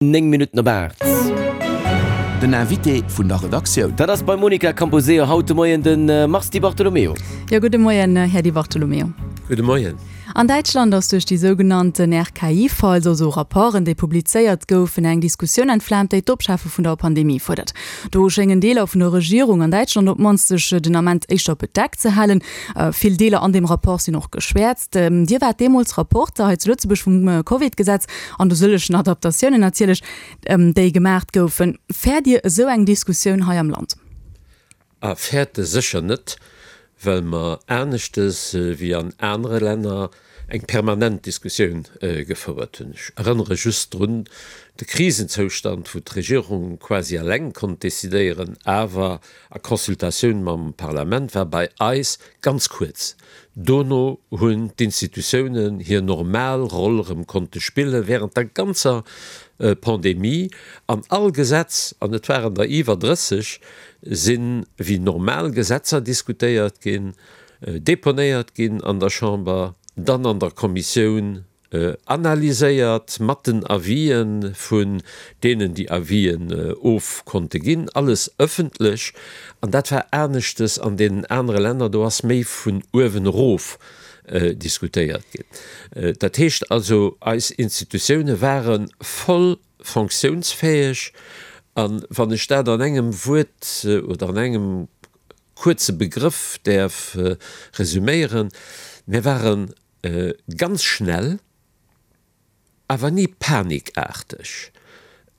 9 Minutten op 8. Den Invité vun der Redaktioun. Dat ass beim Monica Camposeo haut de Moien de Mars Di Bartolomeo. Jo, gudde Moien, Här Di Bartolomeo. Gudde Moien. An Däitschland ass duerch déi sougenannten RKI-Files, also Rapporten, déi publizéiert goufen, eng Diskussioun entflaamt, déi d'Opschafe vun der Pandemie fuerdert. Do schéngen Deeler vun der Regierung an Däitschland op d'mannst sech den Ament éischter bedeckt ze halen. Vill Deeler an deem Rapport sinn och geschwäerzt. Dir waart deemools Rapporter hei zu Lëtzebuerg vum Covid-Gesetz an de sëllegen Adaptatiounen natierlech, déi gemaacht goufen. Fäert Dir esou eng Diskussioun hei am Land? A fäerte sécher net, well mer aneschtes wéi an anere Länner eng permanent Diskussioun gefouert hunn. Ech erënnere just drun, de Krisenzoustand, wou d'Regierung quasi eleng konnt decidéieren, awer a Consultatioun mam Parlament, war bei eis ganz kuerz. Dono hunn d'Institutiounen hir normal Roll erëm konnte spille während der ganzer Pandemie an all Gesetz, an et waren der iwwer 30, si wéi normal Gesetzer diskutéiert ginn, deponéiert ginn an der Chamber, dann an der Kommissioun analyséiert, mat den Avisë vun deenen, déi Avisen of konnte ginn, alles ëffentlech. An dat war aneschtes an deenen anere Länner, do ass méi vun uewen erof diskutéiert ginn. Dat heescht also, eis Institutioune ware voll fonctiounsfäeg. A wann ech dat an engem Wuert oder an engem kuerze Begrëff däerf resüméieren, Mir ware ganz schnell, awer ni panikaarteg,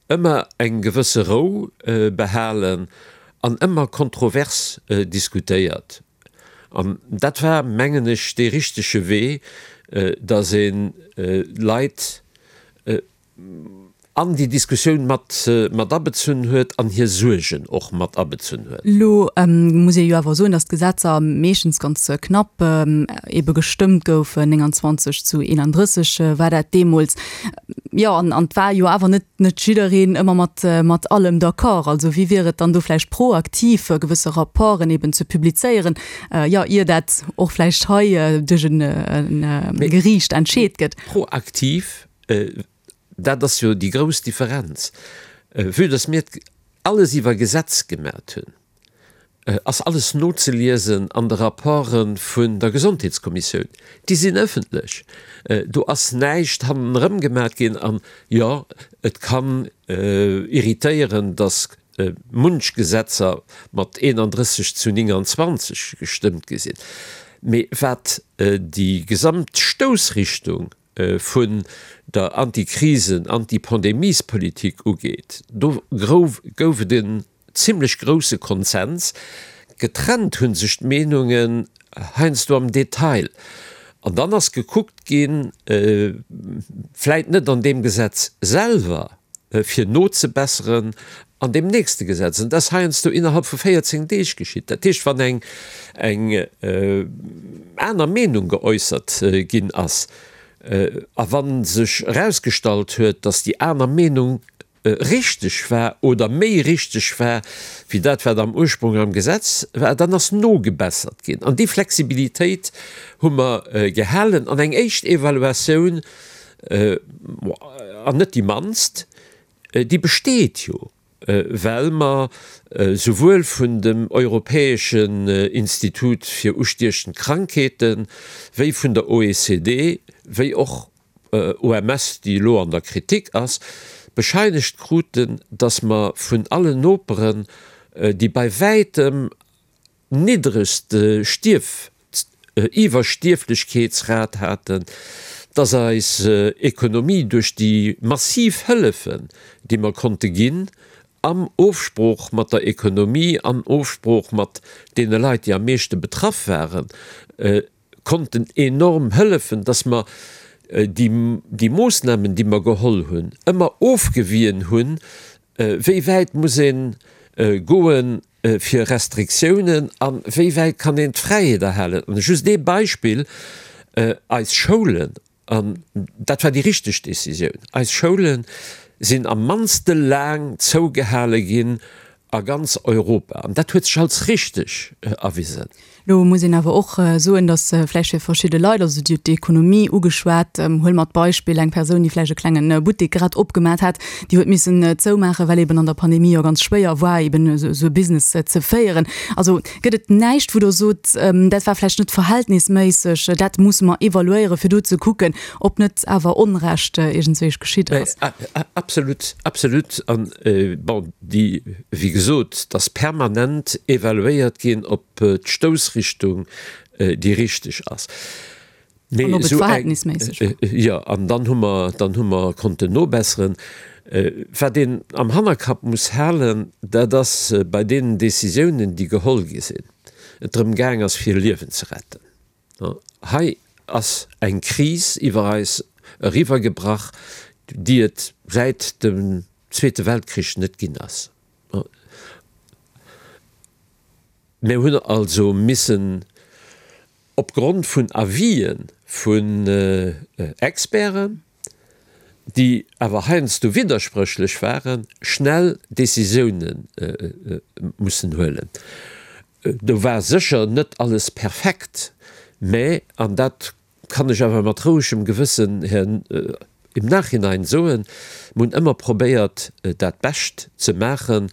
ëmmer eng gewësse Rou behalen an ëmmer kontrovers diskutéiert. An dat war, mengen ech, dee richtege Wee, datt ee Leit an déi Diskussioun mat mat abezunn huet an hir Suergen och mat abezunn huet. Elo muss ee jo awer soen, datt d'Gesetzer meeschtens ganz knapp ebe gestëmmt goufen, 29 zu 31 war dat deemools. Jo, an et war jo awer net net jiddereen ëmmer mat mat allem d'accord. Also wéi wier et dann do vläicht proaktiv gewësse Rapporten eben ze publizéieren, jo, ier dat och vläicht hei duerch e Geriicht entscheet gëtt? Proaktiv Dat ass jo déi grouss Differenz. Vue dass mir alles iwwer Gesetz gemat hunn, ass alles nozeliesen an de Rapporte vun der Gesondheetskommissioun. Déi sinn ëffentlech. Do ass näischt hannenerëm gemat ginn. An jo, et kann irritéieren, dass munch Gesetzer mat 31 zu 29 gestëmmt gi sinn. Mee wat déi gesamt Stoussrichtung vun der Antikrisen-, Antipandemiespolitik ugeet, do gouf et en zimlech grousse Konsens. Getrennt hu sech d'Meenungen heiansdo am Detail. An dann ass gekuckt ginn, vläit net an deem Gesetz selwer, fir nozebesseren an deem nächste Gesetz. An dat ass heiansdo innerhalb vu 14 Deeg geschitt. Dat heescht, wann eng eng aner Meenung geäussert ginn ass a wa sech erausgestallt huet, datt déi aner Meenung richteg war oder méi richteg war wéi dat, wat am Ursprung am Gesetz war, dann ass nogebessert ginn. An déi Flexibilitéit hu mer gehalen. An eng éischt Evaluatioun an net déi mannst, déi besteet jo, well mer souwuel vun dem Europäeschen Institut fir ustiechend Krankheeten, wéi vun der OECD, wéi och OMS, déi elo an der Kritik ass, bescheinegt kruten, datt mer vun allen Noperen déi bei wäitem niddregst Stierf Iwwerstierflechkeetsrat haten, dass eis Ekonomie duerch déi massiv Hëllefen, déi mer konnte ginn, am Ofsprooch mat der Ekonomie, an Ofsprooch mat deene Leit, déi am meeschte betraff waren, konnten enorm hëllefen, dass mer déi, déi Moossnamen, déi mer geholl hunn, ëmmer ofgewien hunn, wéi wäit muss ee goen, fir Restriktiounen a wéi wäit kann een d'Fräiheet erhalen. An just ee Beispill, Eis Schoulen, an dat war déi richteg Décisioun, eis Schoule sinn am mannste laang zougehale ginn. A ganz Europa. An dat huet sech als richteg erwisen. Elo muss een awer och soen, datt vläicht fir verschidde Leit, also Dir hutt d'Ekonomie ugeschwat, huele mer d'Beispill eng Persoun, déi vläicht e klenge Buttek grad opgemat hat, déi huet missen zoumaachen, well eben an der Pandemie jo ganz schwéier war, eben esou e Business ze féieren. Also gëtt et näischt, wou Der sot, dat war vläicht net verhältnisméisseg, dat musse mer evaluéieren, fir do ze kucken, ob net awer Onrecht iergendswéi geschitt ass? Absolut, absolut. An bon, déi, wéi gesot, et ass permanent evaluéiert ginn, ob d'Stoussrichtung déi richteg ass. Mee an ob et verhältnisméisseg war. Jo, an dann hu mer, dann hu mer konnten nobesseren. Wat een am Hannerkapp muss halen, dat ass bei deenen Décisiounen, déi geholl gi sinn, et drëm gaang ass, fir Liewen ze retten. Hei ass eng Kris iwwer eis eriwwergebrach, déi et säit dem Zweete Weltkrich net ginn ass. Mir hunn also missen opgrond vun Avisë vun Experten, déi awer heiansdo widderspréchlech waren, schnell Décisioune mussen huelen. Do war sécher net alles perfekt, mä, an dat kann ech awer mat rouegem Gewëssen im Nachhinein soen, mir hunn ëmmer probéiert, dat Bescht ze maachen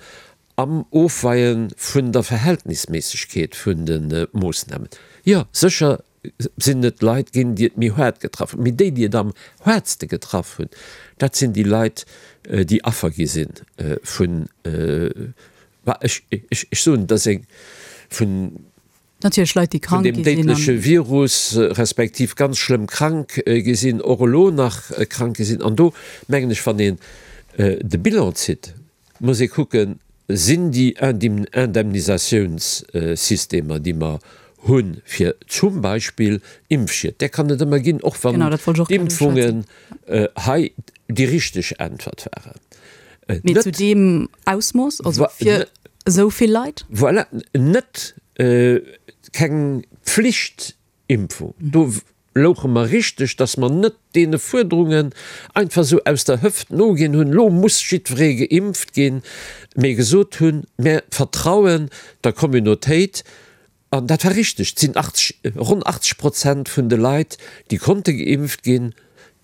am Ofweie vun der Verhältnisméissegkeet vun de Moossnamen. Jo, sécher sinn et Leit ginn, déi et méi haart getraff hunn, mee déi, déi et am haartste getraff hunn, dat sinn déi Leit, déi Affer gi si vun, ech soen, dat ass eng vun Natierlech Leit, déi krank gi sinn. Vun deem déidleche Virus, respektiv ganz schlëmm krank gi sinn, och elo nach krank gi sinn. An do mengen ech, wann een de Bilan zitt, muss ee kucken, Sinn déi Indemnisatiounssystemer, déi mer hunn, fir zum Beispill Impfschied, där kann et ëmmer ginn, och wann d'Impfungen hei déi richteg Äntwert waren. Mee zu deem Ausmooss, also fir esou vill Leit? Voilà, net keng Pflichtimpfung. Do louche mer richteg, datt mer net deene Fuerderungen einfach esou aus der Hëft noginn hunn, elo muss jiddweree geimpft ginn, mee gesot hunn, Mir vertrauen der Communautéit. An dat war richteg. Et sinn 80, ronn 80 Prozent vun de Leit, déi konnte geimpft ginn,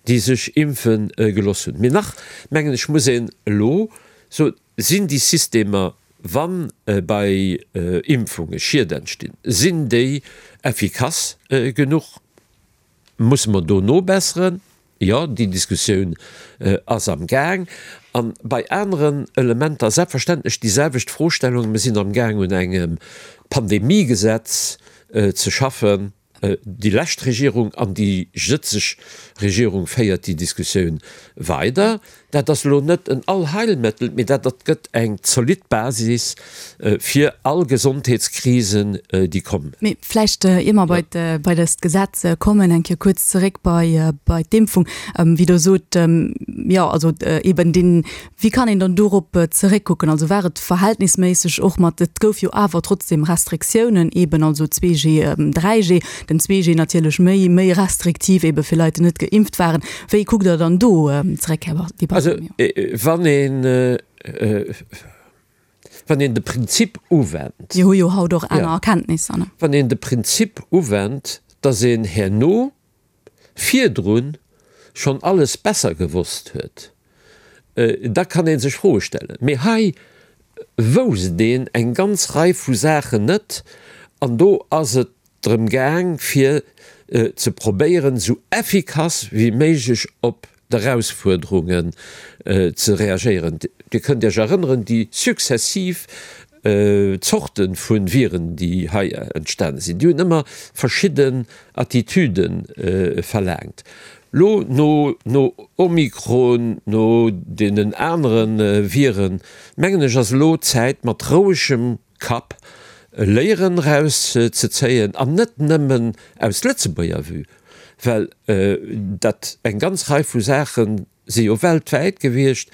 déi sech impfe geloss hunn. Mee nach, mengen ech, muss een elo soen, sinn déi Systemer, wa bei Impfunge Schied entstinn, sinn déi effikass genuch? Musse mer do nobesseren? Jo, déi Diskussioun ass am Gaang. A bei aneren Elementer selbstverständlech déi selwecht Froestellung. Mir sinn am Gaang un engem Pandemiegesetz ze schaffen. Déi lescht Regierung an déi jëtzeg Regierung féiert déi Diskussioun weider. Dat ass elo net en Allheilmëttel, mee dat gëtt eng zolidd Basis fir all Gesondheetskrisen, déi kommen. Mee vläicht, ier mer bei bei dëst Gesetz kommen, eng Kéier kuerz zeréck bei bei d'Impfung. Wéi Der sot, jo, also eeben deen, wéi kann een dann dorop zeréckkucken? Also war et verhältnisméisseg och mat, et gouf jo awer trotzdem Restriktiounen eeben, also 2G, 3G, den 2G natierlech méi méi restriktiv eebe fir Leit, déi net geimpft waren. Wéi kuckt Der dann do zeréck, Här Di Bartolomeo? Also wann een, wann een de Prinzip uwennt. Mir hu jo haut och aner Erkenntnisser, ne? Wann een de Prinzip uwennt, datt een herno virdrun schonn alles besser gewosst huet, da kann ee sech Froe stellen. Mee hei wousst een eng ganz Rei vu Saachen net an do ass et drëm gaang fir ze probéieren esou effikass wéi méiglech op d'Erausfuerderungen ze reagéieren. Dir kënnt Iech erënneren, déi successiv Zorte vu Viren, déi hei entstane sinn, déi hunn ëmmer verschidden Attitüde verlaangt. Lo no no Omikron, no deenen anere Viren, mengen ech, ass elo d'Zäit mat rouegem Kapp Léieren eraus ze zéien, an net nëmmen aus Lëtzebuerger Vue, well dat eng ganz Rei vu Saache si jo weltwäit gewiescht.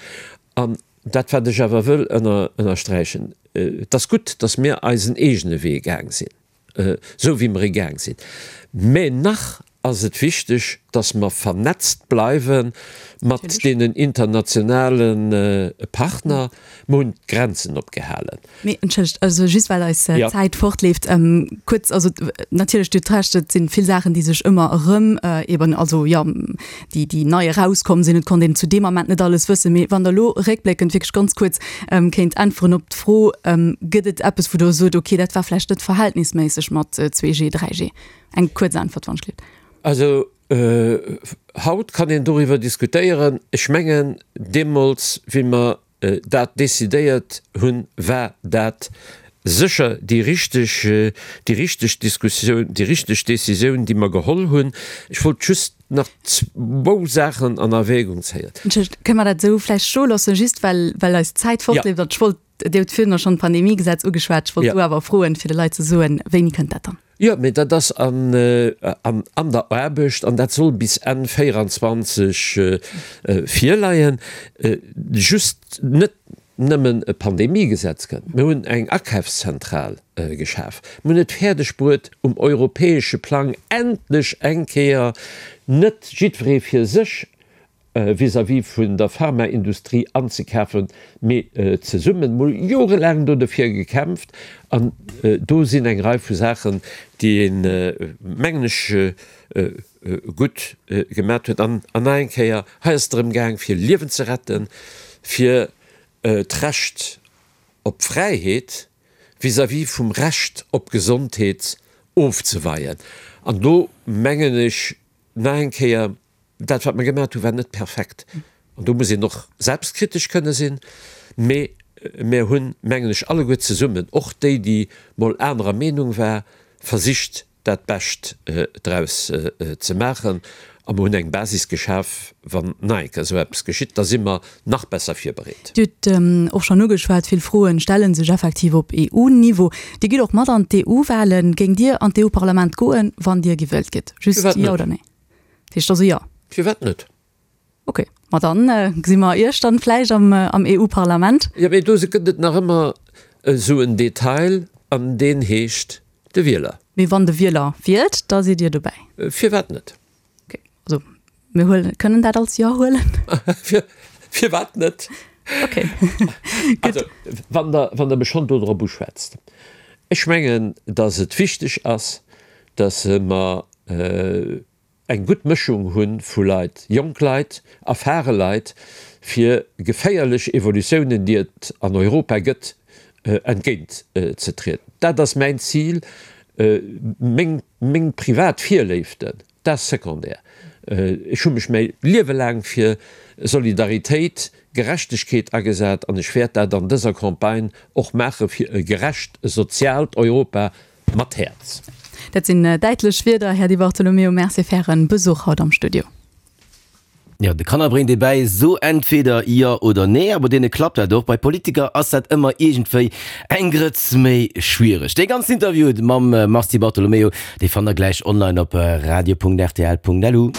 An dat wat ech awer wëll ënnersträichen, et ass gutt, datt mir eisen eegene Wee gaang sinn, esou wéi mer e gaang sinn, mä nach. ass et wichteg, dass mer vernetzt bleiwe mat deenen internationale Partner. Mer hunn d'Grenzen opgehalen. Mee entschëllegt, also just well eis Zäit fortleeft, kuerz, also natierlech, Dir hutt Recht, et si vill Saachen, déi sech ëmmer erëm eben, also jo, déi, déi nei erauskomm sinn. Et konnt een zu deem Ament net alles wëssen. Mee wann Der elo réckbléckend wierklech ganz kuerz kéint äntweren op d'Fro, Gëtt et eppes, wou Der sot, okay, dat war vläicht net verhältnisméisseg mat 2G, 3G? Eng kuerz Äntwert, wann ech gelift. Also haut kann een doriwwer diskutéieren. Ech mengen, deemools, wéi mer dat decidéiert hunn, war dat sécher déi richteg, déi richteg Diskussioun, déi richteg Décisioun, déi mer geholl hunn. Ech wollt just nach zwou Saachen an Erwägung zéien. Entschëllegt, kënne mer dat esou vläicht stoe loossen, just well, well eis d'Zäit fortleeft? An ech wollt, Dir hutt virdrun schonn d'Pandemiegesetz ugeschwat, ech wollt do awer froen, fir de Leit ze soen, wéini kënnt dat dann? Jo, mee dat ass an an der Aarbecht an dat soll bis Enn 24 virleien. Just net nëmmen e Pandemiegesetz kënnt, mir hunn eng Akafszentral geschaf, mir hunn et fäerdeg bruet um europäesche Plang endlech eng Kéier net jiddweree fir sech vis-à-vis vun der Pharmaindustrie anzekafen, mee zesummen. Mir hu jorelaang do dofir gekämpft an do sinn eng Rei vu Saachen, déi een, mengen ech, gutt gemat huet. An nach eng Kéier, hei ass et drëm gaang, fir Liewen ze retten, fir d'Recht op Fräiheet vis-à-vis vum Recht op Gesondheet ofzeweien. An do mengen ech nach eng Kéier, Dat, wat mer gemaat hunn, war net perfekt. An do muss een och selbstkritesch kënne sinn. Mee mir hunn, mengen ech, alleguer zesummen, och déi, déi mol anerer Meenung war, versicht, dat Bescht draus ze maachen. A mer hunn eng Basis geschaf, wann nach eng Kéier esou eppes geschitt, da si mer nach besser virbereet. Dir hutt och schonn ugeschwat, vill Froen stelle sech effektiv op EU-Niveau. Dir gitt och mat an d'EU-Wahlen. Géingt Dir an d'EU-Parlament goen, wann Dir gewielt gitt? Just Jo oder Nee? Dat heescht also jo? Firwat net? Ok, ma dann gesi mer Iech dann vläicht am am EU-Parlament. Jo, mee do gëtt et nach ëmmer esou en Detail, an deen heescht de Wieler. Mee wann de Wieler wielt, da sidd Dir dobäi? Firwat net? Ok, also mir huelen, kënnen dat als Jo huelen? Firwat net? Ok, gutt. Also, wann Der, wann Der mech schonn do drop uschwätzt, ech mengen, datt et wichteg ass, datt mer eng gutt Mëschung hu vu Leit, jonk Leit, erfare Leit, fir geféierlech Evolutiounen, déi et an Europa gëtt, entgéint ze trieden. Dat ass mäin Zil. Meng, meng privat Virléiften, dat ass secondaire. Ech hu mech mäi Liewe laang fir Solidaritéit, Gerechtegkeet agesat an ech wäert dat an dëser Campagne och maache fir e gerecht, e soziaalt Europa Mat Häerz. Dat sinn däitlech Wierder, Här Di Bartolomeo. Merci fir Ären Besuch haut am Studio. Jo, de Kanner bréngt ee bäi, so entweder jo oder nee, a bei deene klappt dat och. Bei Politiker ass dat ëmmer iergendwéi eng Grëtz méi schwiereg. Dee ganzen Interview mam Mars Di Bartolomeo, dee fannt der gläich online op radio.rtl.lu.